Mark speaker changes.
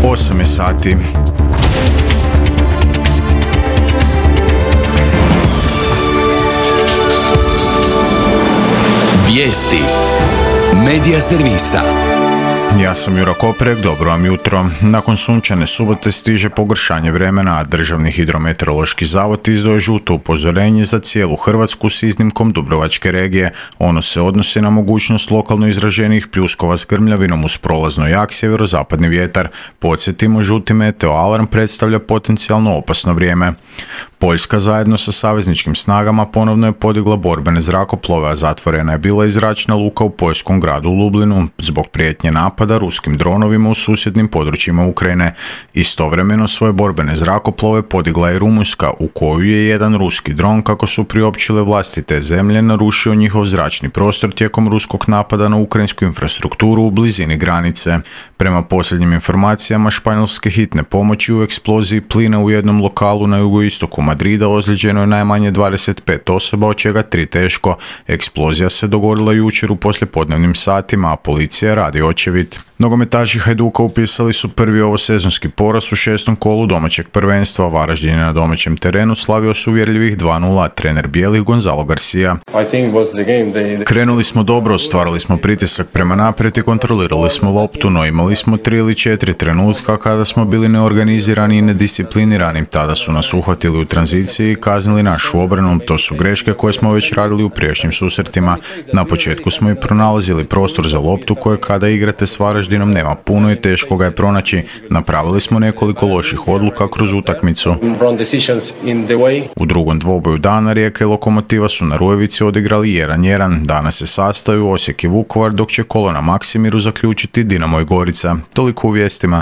Speaker 1: 8 je sati.
Speaker 2: Vijesti Medija servisa.
Speaker 1: Ja sam Jura Koprek, dobro vam jutro. Nakon sunčane subote stiže pogoršanje vremena, a Državni hidrometeorološki zavod izdao je žuto upozorenje za cijelu Hrvatsku s iznimkom Dubrovačke regije. Ono se odnosi na mogućnost lokalno izraženih pljuskova s grmljavinom uz prolazno jak sjeverozapadni vjetar. Podsjetimo, žuti meteo alarm predstavlja potencijalno opasno vrijeme. Poljska zajedno sa savezničkim snagama ponovno je podigla borbene zrakoplove, a zatvorena je bila i zračna luka u poljskom gradu Lublinu zbog prijetnje napada ruskim dronovima u susjednim područjima Ukrajine. Istovremeno svoje borbene zrakoplove podigla je Rumunjska, u koju je jedan ruski dron, kako su priopćile vlasti te zemlje, narušio njihov zračni prostor tijekom ruskog napada na ukrajinsku infrastrukturu u blizini granice. Prema posljednjim informacijama, španjolske hitne pomoći u eksploziji plina u jednom lokalu na jugoistoku Madrida ozlijeđeno je najmanje 25 osoba, od čega 3 teško. Eksplozija se dogodila jučer u poslijepodnevnim satima, a policija radi očevid. Nogometaši Hajduka upisali su prvi ovosezonski poraz u 6. kolu domaćeg prvenstva. Varaždin je na domaćem terenu slavio s uvjerljivih 2:0, trener bijelih Gonzalo Garcia. Krenuli smo dobro, stvarali smo pritisak prema naprijed i kontrolirali smo loptu, no imali smo 3 ili 4 trenutka kada smo bili neorganizirani i nedisciplinirani. Tada su nas uhvatili u tranziciji i kaznili našu obranu. To su greške koje smo već radili u prijašnjim susretima. Na početku smo i pronalazili prostor za loptu koje kada igrate s Varaždinom nema puno i teško ga je pronaći. Napravili smo nekoliko loših odluka kroz utakmicu. U drugom dvoboju dana Rijeka i Lokomotiva su na Rujevici odigrali 1:1. Danas se sastaju Osijek i Vukovar, dok će kolo na Maksimiru zaključiti Dinamo i Gorica. Toliko u vijestima.